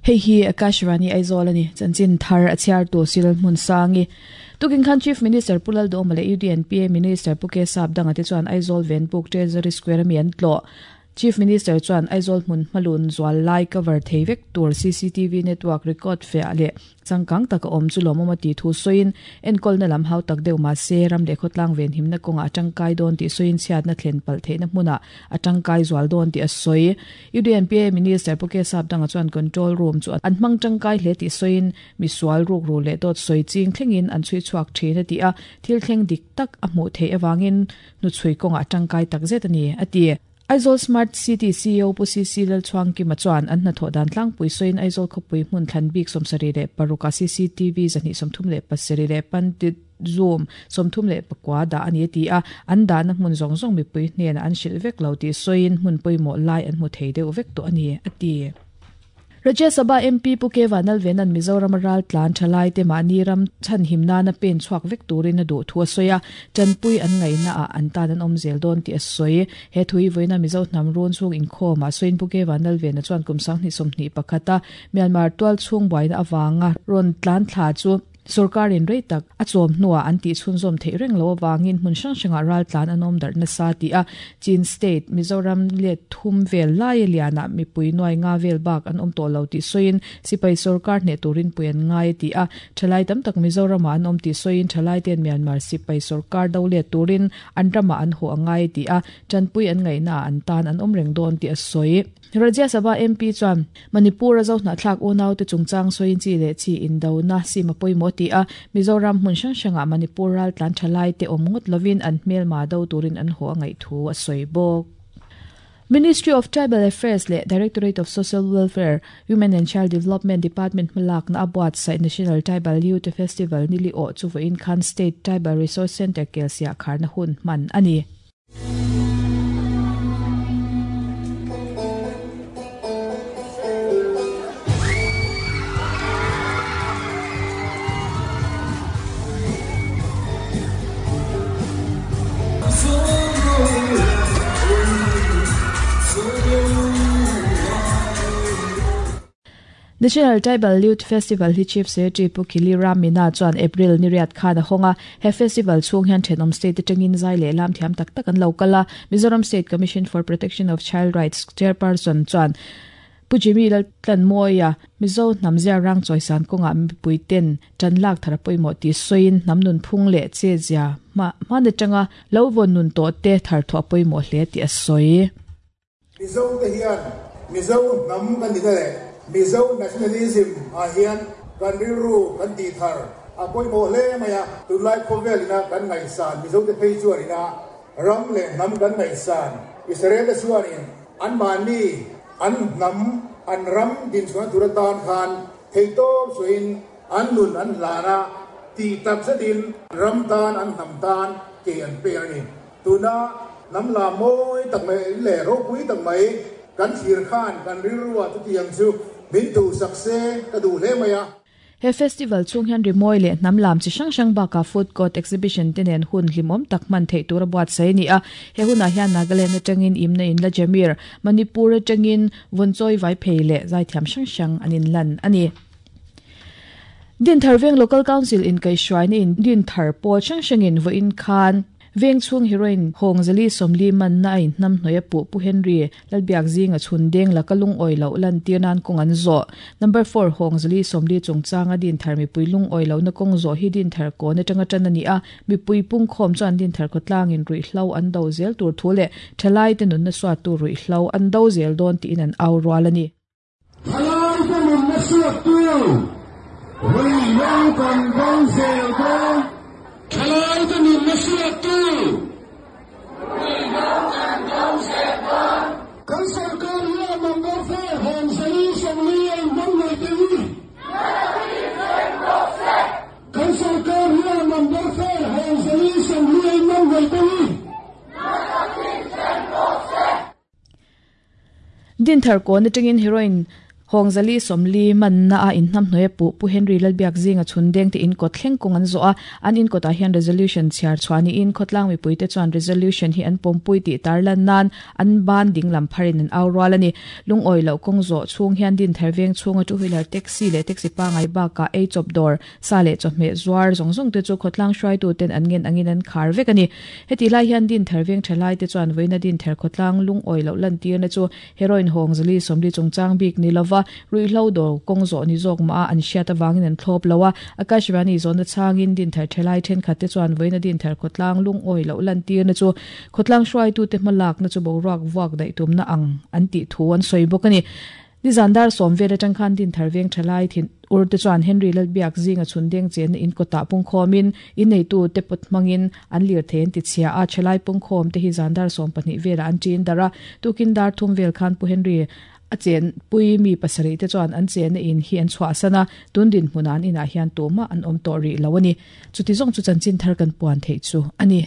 Hei hi Akashvani Aizawl a ni. Chanchin thar a chhiartu Cyril Hmunsangi. Tukin khan Chief Minister Pu Lalduhoma leh UDNPA Minister Pu K Sapdanga te chuan Aizawl Venpuk Treasury Square ami an tlawh. Chief Minister chuan Aizawl hmun hmalun zual lai cover thei vek tur cctv network record fiah leh changkang taka awm chu lawmawm a tih thu sawiin, enkawlna lam hau tak deuh mah se ram leh khawtlang venhimna kawngah a tangkai dawn tih sawiin chhiatna thlen palh theihna hmunah a tangkai zual dawn tih a sawi. UDNPA Minister Pu K Sapdanga chuan control room chu an hmang tangkai hle tih sawiin, misual rukru leh dawt sawi ching thlengin an chhui chhuak thin a ti a, thil thleng dik tak a hmuh theih avangin hnuchhui kawngah a tangkai takzet a ni, a ti. Aizawl Smart City ceo Pu CC Lalchhuangkima chuan an hnathawh dan tlangpui sawiin Aizawl khawpui hmun thlan bik 76 ah cctv 237 leh Pandit Zoom 34 dah a ni a ti a, an dahna hmun zawng zawng mipui hnenah an hrilh vek lo tih sawiin hmun pawimawh lai an hmu thei deuh vek tawh a ni, a ti. Rajya Sabha MP Pu K Vanlalvena'n Mizorama raltlan thalaite mahni ram chhanhim nana pen chhuak vek turin a duh thu a sawi a, tanpui an ngaihnaah an tan an awm zel dawn tih a sawi. He thu hi vawiina Mizo hnam run chhung inkhawmah sawiin Pu K Vanlalvena chuan kum 2021 a Myanmar tualchhung buaina avanga rawn tlan thla chu Sorkarin rei tak a chawm hnuah an tih chhunzawm theih reng loh avangin hmun hrang hrangah raltlan an awm darh nasa tih a Chin State, Mizoram let thum vel laia lianah mipui nuai nga vel bak an awm tawh lo tih sawiin sipai sorkar hneh turin pui an ngai a ti a. Thalai tam tak Mizoramah an awm tih sawiin thalaite'n Myanmar sipai sorkar do let turin an ramah an haw a ngai a ti a, tanpui an ngaihnaah an tan an awm reng dawn tih a sawi. Rajya Sabha MP chuan Manipur-a Zohnahthlak unaute chungchang sawiin chi leh chi indona sim a pawimawh a ti a, Mizoram hmun hrang hrangah Manipur raltlan thalaite awm ngawt lovin an hmelma do turin an haw a ngaih thu a sawi bawk. Ministry of Tribal Affairs leh Directorate of Social Welfare, Women and Child Development Department hmalakna a buatsaih National Tribal Youth Festival nili awh chu vawiin khan State Tribal Resource Centre Kelsiah kharna hun hman a ni. National Tribal Youth Festival hi Chief Secretary Pu Khili Ram Meena chuan April ni riat khan a hawng a. He festival chhung hian thenawm state atangin zai leh lam thiam tak tak an lo kal a. Mizoram State Commission for Protection of Child Rights Chairperson chuan Pu Jimmy Laltlanmawia Mizo hnam zia rang chawisan kawngah mipui ten tan lak thar a pawimawh tih sawiin hnam nunphung leh che zia hma hman atanga lo vawn nun tawh te thar thuah a pawimawh hle tih a sawi. Mizo te hian Mizo hnam kan ni leh Mizo nationalism ah hian kan rilru kan tih thar a pawimawh hle mai a. Tunlai khawvel ina kan ngaihsan Mizo te phei chuan ina ram leh hnam kan ngaihsan Israel te chuanin anmahni an hnam an ram dinchhuahna tur atan khan theihtawp suahin an nun an hlan a, tih tak zetin ram tan an hnam tan ke an pek a ni. Tuna hnam la mawi tak mai leh ropui tak mai kan thlir khan kan rilruah chutiang chu min duhsak se ka duh hle mai a. He festival chhung hian rimawi leh hnam lam chi hrang hrang bakah food court exhibition te nen hun hlimawm tak hman theih tur a buatsaih a ni a. He hunah hian Nagaland atangin Imna in Lajamir, Manipur atangin Vawnchawi Vaiphei leh zaithiam hrang hrang an inlan a ni. Dinthar Veng Local Council inkaihhruaina in Dinthar pawl hrang hrangin vawiin khan Veng chhung heroine Hawng Zali Sawmli manna a inhnamhnawih a puh Pu Henry Lalbiak zinga chhun deng laka lungawi loh lantir nan kawng an zawh. Number four Hawng Zali Sawmli chungchanga Dinthar mipui lungawi lohna kawng zawh hi Dinthar kawn atanga tan a ni a, mipui pungkhawm chuan Dinthar khawtlangin ruihhlo an do zel tur thu leh thalaite nunna suattu ruihhlo an do zel dawn tiin an au rual a ni. Thalaite nunna suattu ruihhlo kan do zel dawn. Thalaite nunna suattu ruihhlo kan do zel dawn. Kan sorkar hian number four Hawng Zali 40 a inhmang ngei teh u. Kan sorkar hian number four Hawng Zali 40 a inhmang ngei teh u. Dinthar kawn atangin heroine Hawng 440 manna a inhnamhnawih a puh Pu Henry Lalbiak zinga chhun deng te inkawt thleng kawng an zawh a, an inkawtah hian resolution chhiar chhuah niin khawtlang mipuite chuan resolution hi an pawmpui tih tarlan nan an ban dinglam pharin an au rual a ni. Lungawi loh kawng zawh chhung hian Dinthar veng chhunga two wheeler taxi leh taxi pangai bakah ei chawp dawr, sa leh chawhmeh zuar zawng zawng te chu khawtlang hruaitu ten an ngen angin an khar vek a ni. Hetih lai hian Dinthar veng tha lai te chuan vawiina Dinthar khawtlang lungawi loh lantirna chu Heroin hawng zali 40 chungchang bik ni lova ruihhlo dawr kawng zawh ni zawk mah a an hriat avangin an thlawp lo a. Akashvani zawhna chhangin Dinthar thelai thenkhat te chuan vawiina Dinthar khawtlang lungawi loh lantirna chu khawtlang hruaitute hmalakna chu boruak vuak daih tumna ang an tih thu an sawi bawk a ni. Nizan dar sawm vel atang khan Dinthar veng thalai thin ur te chuan Henry Lalbiak zinga chhun deng chenna in kawtah pungkhawmin inneitu te pawt hmangin an lirthei an ti chhia a, thalai pungkhawm te hi zan dar 12 velah an ṭin darh a, tukin dar thum vel khan Pu Henry a chenpui mi pasarih te chuan an chenna in hi an chhuahsan a, tun dinhmunah an inah hian tumah an awm tawh rih lo a ni. Chuti zawng chu chanchin thar kan puan theih chu a ni.